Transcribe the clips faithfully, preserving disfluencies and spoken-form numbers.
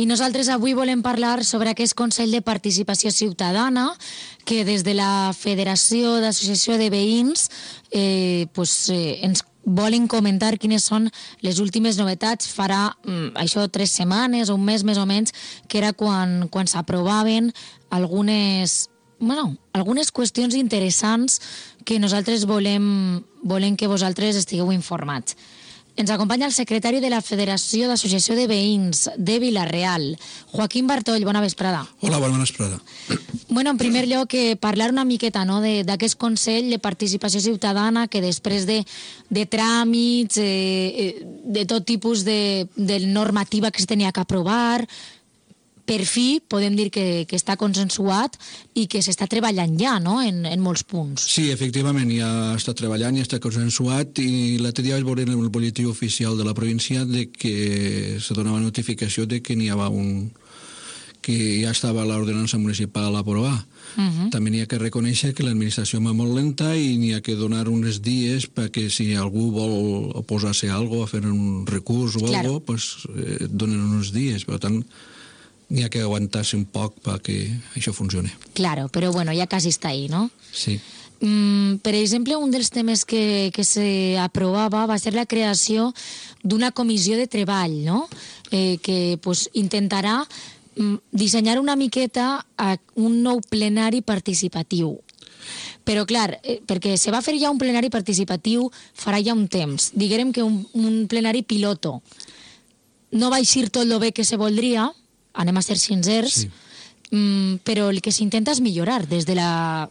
I nosaltres avui volem parlar sobre aquest Consell de Participació Ciutadana que des de la Federació d'Associació de Veïns eh, pues, eh, ens volen comentar quines són les últimes novetats. Farà mm, això tres setmanes o un mes més o menys, que era quan, quan s'aprovaven algunes, bueno, algunes qüestions interessants que nosaltres volem, volem que vosaltres estigueu informats. Ens acompanya el secretari de la Federació d'Associació de Veïns de Vila-real, Joaquín Bartoll. Bona vesprada. Hola, bona vesprada. Bueno, en primer lloc, eh, parlar una miqueta, no?, d'aquest Consell de Participació Ciutadana que després de, de tràmits, eh, de tot tipus de, de normativa que es tenia que aprovar, per fi podem dir que, que està consensuat i que s'està treballant ja, no?, en, en molts punts. Sí, efectivament, ja està treballant, ja està consensuat, i l'altre dia vaig veure en el boletí oficial de la província de que se donava notificació de que n'hi havia un... que ja estava l'ordenança municipal a aprovar. Uh -huh. També n'hi ha que reconèixer que l'administració va molt lenta i n'hi ha que donar uns dies perquè si algú vol oposar-se a alguna cosa, a fer un recurs o claro. alguna cosa, pues, eh, donen uns dies. Per tant, n'hi ha que aguantar-se un poc perquè això funcioni. Claro, però bueno, ja quasi està ahí, no? Sí. Mm, per exemple, un dels temes que, que s'aprovava va ser la creació d'una comissió de treball, no?, eh, que pues, intentarà mm, dissenyar una miqueta a un nou plenari participatiu. Però, clar, eh, perquè se va fer ja un plenari participatiu farà ja un temps. Diguem que un, un plenari piloto. No va eixir tot el bé que se voldria, anem a ser sincers, sí. mm, però el que s'intenta és millorar des de la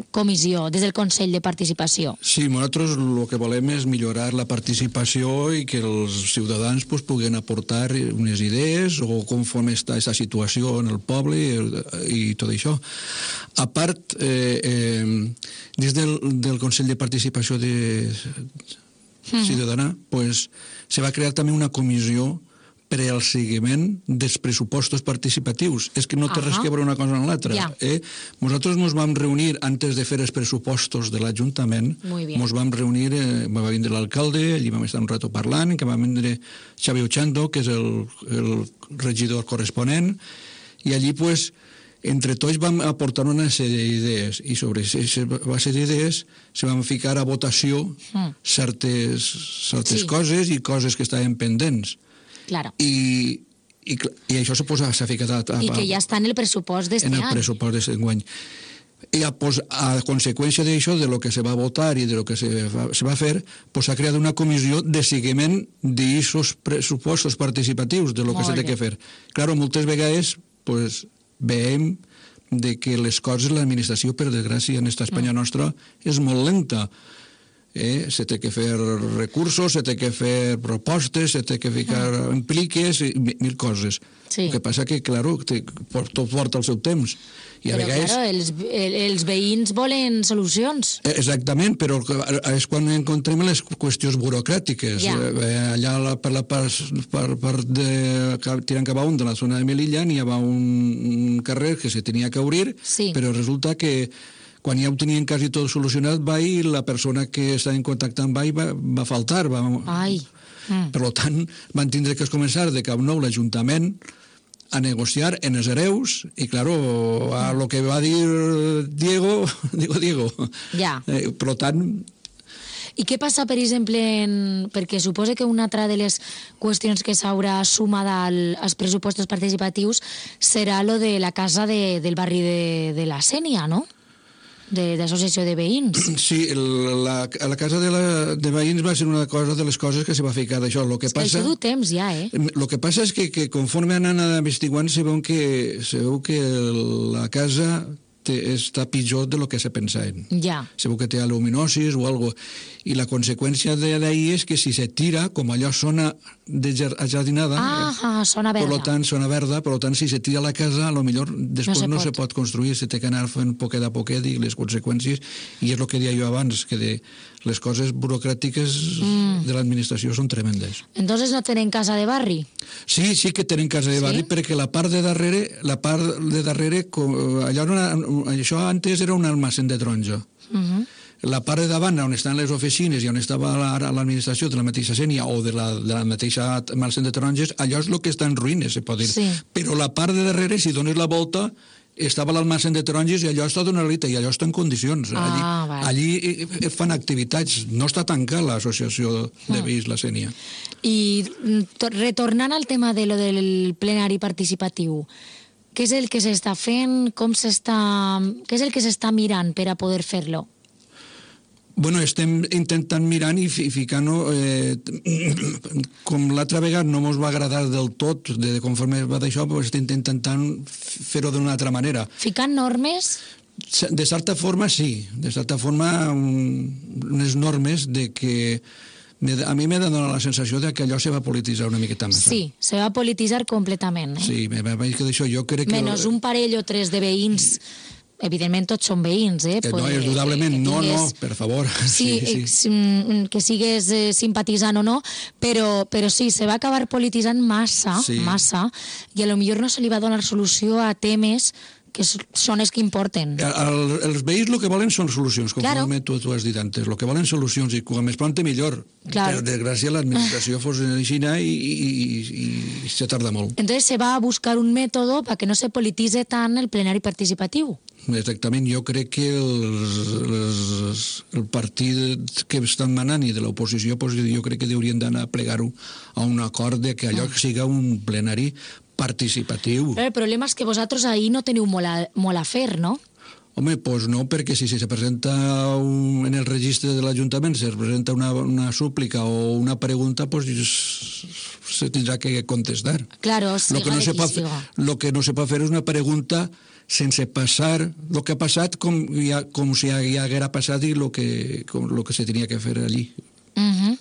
comissió, des del Consell de Participació. Sí, nosaltres el que volem és millorar la participació i que els ciutadans pues, puguen aportar unes idees o conforme està aquesta situació en el poble i, i tot això. A part, eh, eh, des del, del Consell de Participació de Ciutadana, mm. pues, se va crear també una comissió per al seguiment dels pressupostos participatius. És que no té uh -huh. res que veure una cosa amb l'altra. Yeah. Eh? Nosaltres ens vam reunir, antes de fer els pressupostos de l'Ajuntament, ens vam reunir, eh, va vindre l'alcalde, allí vam estar un rato parlant, que va vindre Xavi Ochando, que és el, el regidor corresponent, i allí, pues, entre tots vam aportar una sèrie d'idees, i sobre aquesta base d'idees se van ficar a votació mm. certes, certes sí. coses i coses que estaven pendents. Claro. I, i, i això s'ha ficat a, a, I que ja està en el pressupost d'este any. En el pressupost d'este any. I a, pues, a conseqüència d'això, de lo que se va votar i de lo que se va, se va fer, s'ha pues, creat una comissió de seguiment d'aquests pressupostos participatius, de lo que s'ha de fer. Claro, moltes vegades pues, veiem de que les coses, l'administració, per desgràcia, en esta Espanya mm. nostra, és molt lenta. Eh, se té que fer recursos, se té que fer propostes, se té que ficar mm. impliques, mil coses. Sí. El que passa que, claro, te, tot porta el seu temps. I però, a vegades... claro, els, els veïns volen solucions. Exactament, però és quan encontrem les qüestions burocràtiques. Ja. Eh, allà per la part, per, per de, tirant cap a un de la zona de Melilla n'hi havia un, un carrer que se tenia que obrir, sí. però resulta que quan ja ho tenien quasi tot solucionat, va i la persona que estava en contacte amb ell va, va faltar. Va... Ai. Mm. Per tant, van tindre que començar de cap nou l'Ajuntament a negociar en els hereus i, claro, a lo que va dir Diego, digo Diego. Ja. Eh, per tant... I què passa, per exemple, en... perquè suposa que una altra de les qüestions que s'haurà sumat al, als pressupostos participatius serà lo de la casa de, del barri de, de la Sénia, no?, d'associació de, de veïns. Sí, la, la casa de, la, de veïns va ser una cosa de les coses que se va ficar d'això. Lo que passa, això du temps ja, eh? El que passa és que, que conforme anen investigant se veu que, se veu que la casa té, està pitjor de lo que se pensaven. Ja. Se veu que té aluminosis o algo. I la conseqüència d'ahir és que si se tira, com allò sona de jardinada, ah, sona verda. Per tant, sona verda, per tant, si se tira a la casa, a lo millor després no, se, no pot. se pot construir, se té que anar fent poquet a poquet i les conseqüències, i és el que deia jo abans, que de les coses burocràtiques mm. de l'administració són tremendes. Entonces no tenen casa de barri? Sí, sí que tenen casa de barri, sí? Perquè la part de darrere, la part de darrere, allò, una, això antes era un almacén de taronja. Uh -huh. la part de davant, on estan les oficines i on estava ara l'administració de la mateixa Sénia o de la, de la mateixa Marcén de Taronges, allò és el que està en ruïnes, se pot dir. Sí. Però la part de darrere, si dones la volta, estava l'almacén de taronges i allò està d'una elita i allò està en condicions. Allí, Ah, vale. allí fan activitats, no està tancada l'associació de veïns La Sénia. I mm, to- retornant al tema de lo del plenari participatiu, què és el que s'està fent, com s'està... què és el que s'està mirant per a poder fer-lo? Bueno, estem intentant mirant i fi- ficant-ho... Eh, com l'altra vegada no ens va agradar del tot, de conforme va d'això, doncs estem intentant fer-ho d'una altra manera. Ficant normes? De certa forma, sí. De certa forma, un, unes normes de que... me- A mi m'ha donat la sensació de que allò se va polititzar una miqueta més. Sí, se va polititzar completament. Eh? Sí, me va dir que d'això jo crec que... Menys un parell o tres de veïns, evidentment tots són veïns, eh? Que no, Poder- indudablement, que no, no, tingues- per favor. Sí, sí, sí. sí. que sigues eh, simpatitzant o no, però, però sí, se va acabar polititzant massa, Sí. massa, i a lo millor no se li va donar solució a temes que s- són els que importen. El, el, els veïns el que volen són solucions, Claro. conforme tu, tu has dit antes. El que volen solucions, i com més pronte millor. Claro. Per desgràcia, l'administració fos en Xina i, i, i, i se tarda molt. Entonces se va a buscar un método para que no se politice tant el plenari participatiu. Exactament, jo crec que els, els, el partit que estan manant i de l'oposició, pues, jo crec que haurien d'anar a plegar-ho a un acord de que allò siga un plenari participatiu. Però el problema és que vosaltres ahir no teniu molt a, molt a fer, no? Home, doncs no, perquè si se presenta un, en el registre de l'Ajuntament se presenta una, una súplica o una pregunta, pues se tindrà que contestar. Claro, Lo siga que no de se qui pot, siga. lo que no se pot fer és una pregunta sense passar el que ha passat com, ja, com si ja, ja haguera passat i lo que, com, lo que se tenia que fer allí. Uh -huh.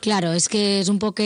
Claro, es que es un poco